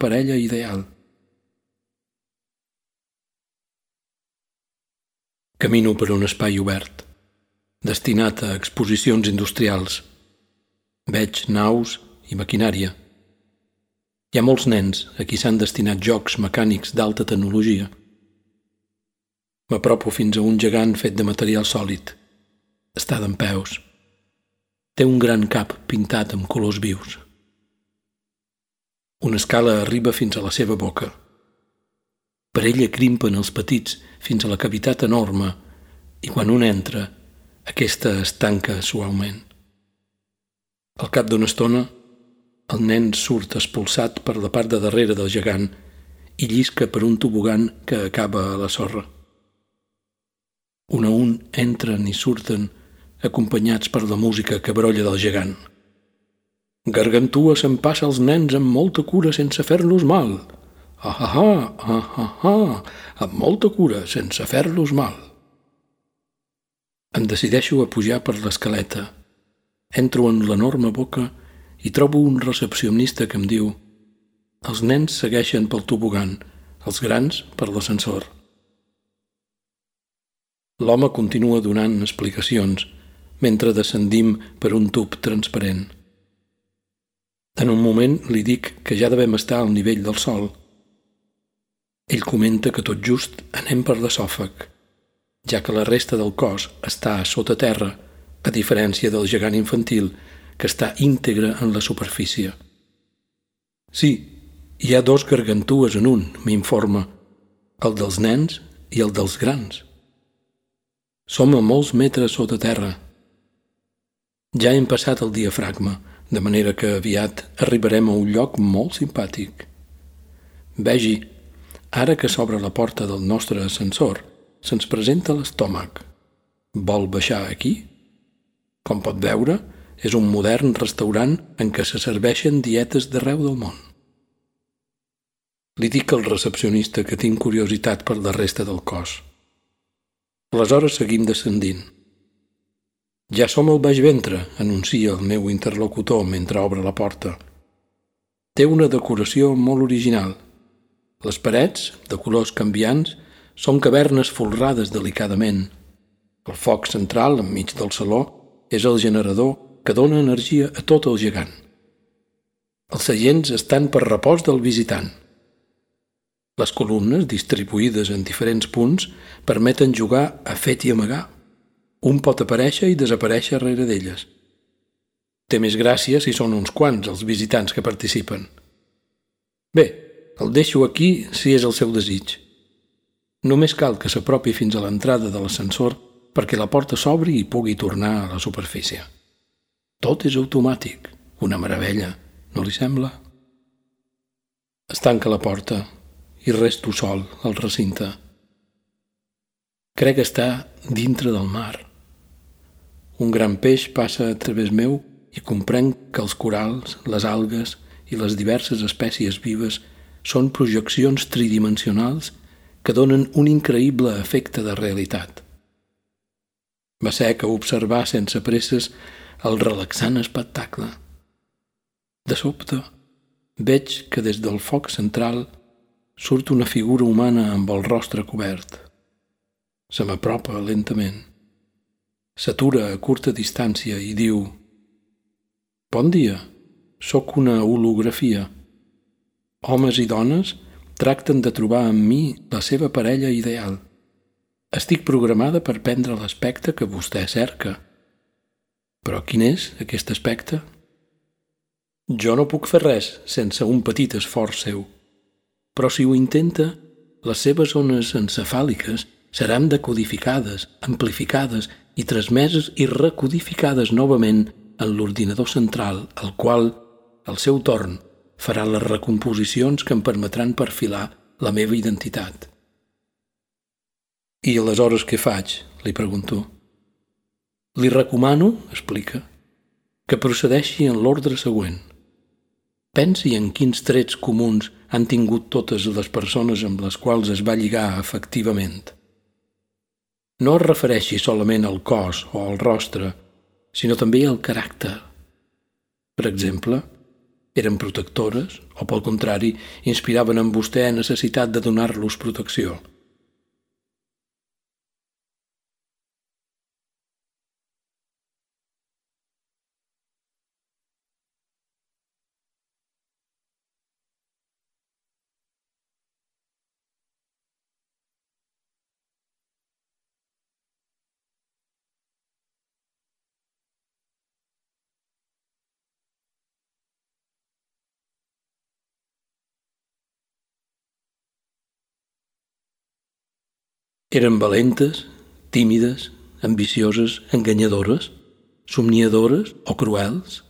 parella ideal. Camino per un espai obert, destinat a exposicions industrials. Veig naus i maquinària. Hi ha molts nens a qui s'han destinat jocs mecànics d'alta tecnologia. M'apropo fins a un gegant fet de material sòlid. Està dempeus. Té un gran cap pintat amb colors vius. Una escala arriba fins a la seva boca. Per ella crimpen els petits fins a la cavitat enorme i quan un entra, aquesta es tanca suaument. Al cap d'una estona, el nen surt expulsat per la part de darrere del gegant i llisca per un tobogan que acaba a la sorra. Un a un entren i surten acompanyats per la música que brolla del gegant. Gargantua s'empassa els nens amb molta cura sense fer-los mal. Amb molta cura sense fer-los mal. Em decideixo a pujar per l'escaleta. Entro en l'enorme boca i trobo un recepcionista que em diu: els nens segueixen pel tobogan, els grans per l'ascensor. L'home continua donant explicacions mentre descendim per un tub transparent. En un moment li dic que ja devem estar al nivell del sòl. Ell comenta que tot just anem per l'esòfag, ja que la resta del cos està sota terra, a diferència del gegant infantil, que està íntegre en la superfície. Sí, hi ha 2 gargantues en un, m'informa, el dels nens i el dels grans. Som a molts metres sota terra. Ja hem passat el diafragma, de manera que aviat arribarem a un lloc molt simpàtic. Vegi, ara que s'obre la porta del nostre ascensor, se'ns presenta l'estómac. Vol baixar aquí? Com pot veure, és un modern restaurant en què se serveixen dietes d'arreu del món. Li dic al recepcionista que tinc curiositat per la resta del cos. Aleshores seguim descendint. Ja som al baix ventre, anuncia el meu interlocutor mentre obre la porta. Té una decoració molt original. Les parets, de colors canviants, són cavernes folrades delicadament. El foc central, enmig del saló, és el generador que dona energia a tot el gegant. Els seients estan per repòs del visitant. Les columnes, distribuïdes en diferents punts, permeten jugar a fet i amagar. Un pot aparèixer i desaparèixer rere d'elles. Té més gràcia si són uns quants els visitants que participen. Bé, el deixo aquí si és el seu desig. Només cal que s'apropi fins a l'entrada de l'ascensor perquè la porta s'obri i pugui tornar a la superfície. Tot és automàtic, una meravella, no li sembla? Es tanca la porta i resto sol al recinte. Crec estar dintre del mar. Un gran peix passa a través meu i comprenc que els corals, les algues i les diverses espècies vives són projeccions tridimensionals que donen un increïble efecte de realitat. M'assec a observar sense presses el relaxant espectacle. De sobte, veig que des del foc central surt una figura humana amb el rostre cobert. Se m'apropa lentament. S'atura a curta distància i diu: «Bon dia, sóc una holografia. Homes i dones tracten de trobar en mi la seva parella ideal. Estic programada per prendre l'aspecte que vostè cerca. Però quin és aquest aspecte? Jo no puc fer res sense un petit esforç seu. Però si ho intenta, les seves ones encefàliques seran decodificades, amplificades i transmeses i recodificades novament en l'ordinador central, el qual, al seu torn, farà les recomposicions que em permetran perfilar la meva identitat». «I aleshores què faig?», li pregunto. «Li recomano», explica, «que procedeixi en l'ordre següent. Pensi en quins trets comuns han tingut totes les persones amb les quals es va lligar efectivament. No es refereixi solament al cos o al rostre, sinó també al caràcter. Per exemple, Eren protectores o, pel contrari, inspiraven en vostè necessitat de donar-los protecció? Eren valentes, tímides, ambicioses, enganyadores, somniadores o cruels?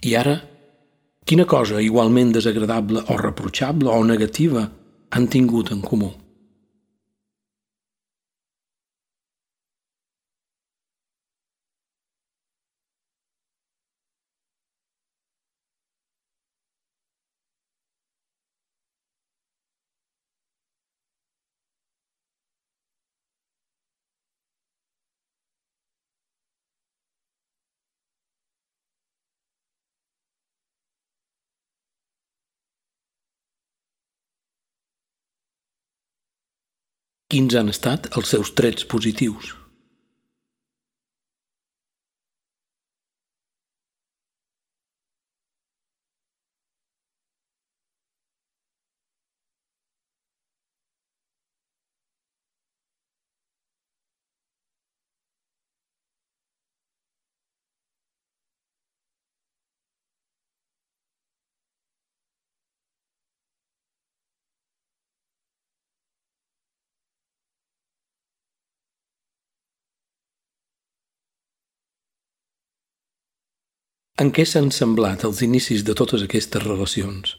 I ara, quina cosa igualment desagradable o reprotxable o negativa han tingut en comú? Quins han estat els seus trets positius? En què s'han semblat els inicis de totes aquestes relacions?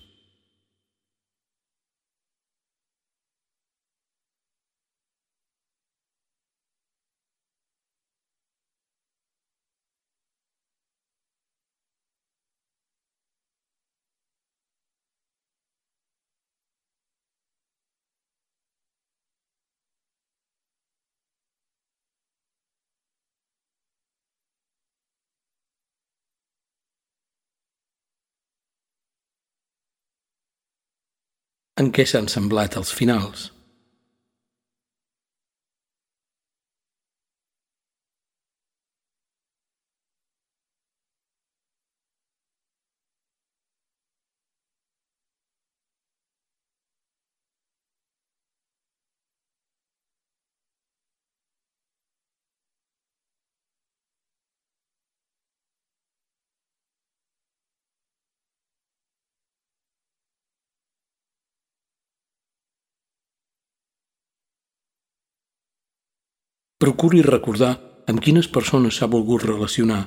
En què s'han semblat els finals? Procuri recordar amb quines persones s'ha volgut relacionar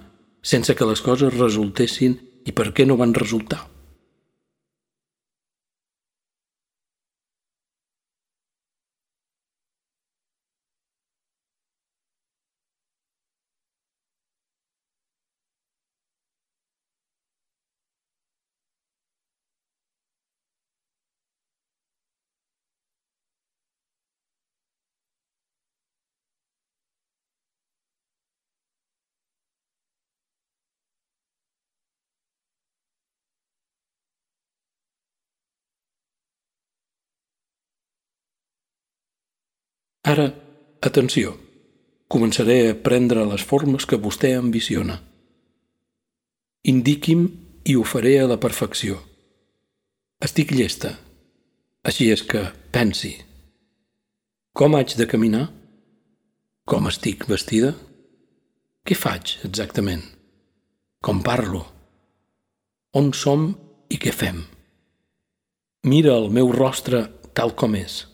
sense que les coses resultessin i per què no van resultar. Ara, atenció, començaré a prendre les formes que vostè ambiciona. Indiqui'm i ho faré a la perfecció. Estic llesta, així és que pensi. Com haig de caminar? Com estic vestida? Què faig exactament? Com parlo? On som i què fem? Mira el meu rostre tal com és.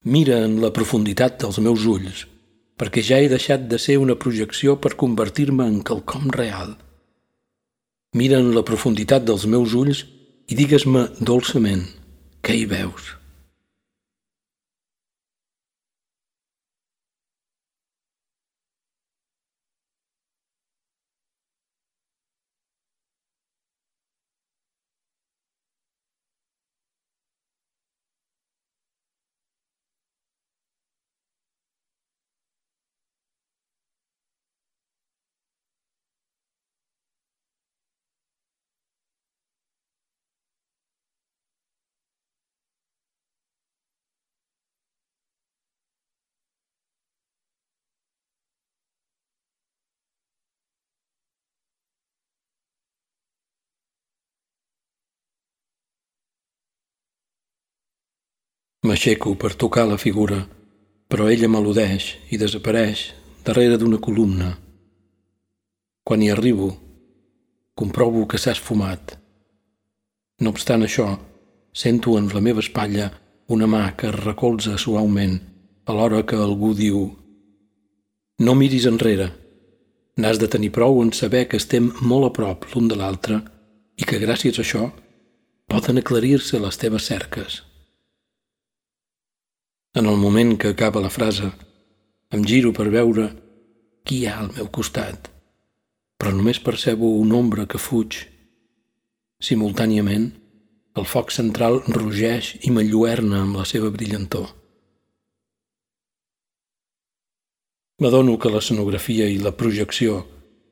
Mira en la profunditat dels meus ulls, perquè ja he deixat de ser una projecció per convertir-me en quelcom real. Mira en la profunditat dels meus ulls i digues-me dolçament què hi veus. M'aixeco per tocar la figura, però ella m'al·ludeix i desapareix darrere d'una columna. Quan hi arribo, comprovo que s'ha esfumat. No obstant això, sento en la meva espatlla una mà que es recolza suaument alhora que algú diu: «No miris enrere. N'has de tenir prou en saber que estem molt a prop l'un de l'altre i que gràcies a això poden aclarir-se les teves cerques». En el moment que acaba la frase, em giro per veure qui hi ha al meu costat, però només percebo una ombra que fuig. Simultàniament, el foc central rugeix i m'enlluerna amb la seva brillantor. M'adono que l'escenografia i la projecció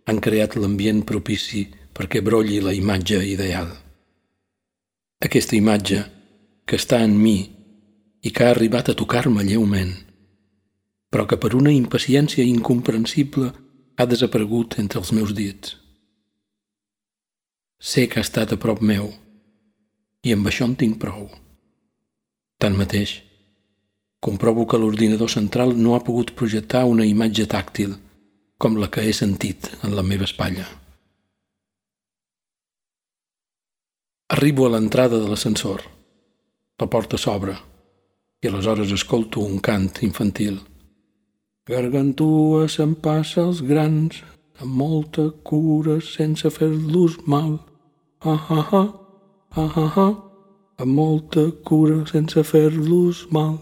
han creat l'ambient propici perquè brolli la imatge ideal. Aquesta imatge que està en mi i que ha arribat a tocar-me lleument, però que per una impaciència incomprensible ha desaparegut entre els meus dits. Sé que ha estat a prop meu i amb això en tinc prou. Tanmateix, comprovo que l'ordinador central no ha pogut projectar una imatge tàctil com la que he sentit en la meva espatlla. Arribo a l'entrada de l'ascensor. La porta s'obre i aleshores escolto un cant infantil. Gargantua s'empassa els grans amb molta cura sense fer-los mal. Ah, ah, ah, ah, ah, ah, amb molta cura sense fer-los mal.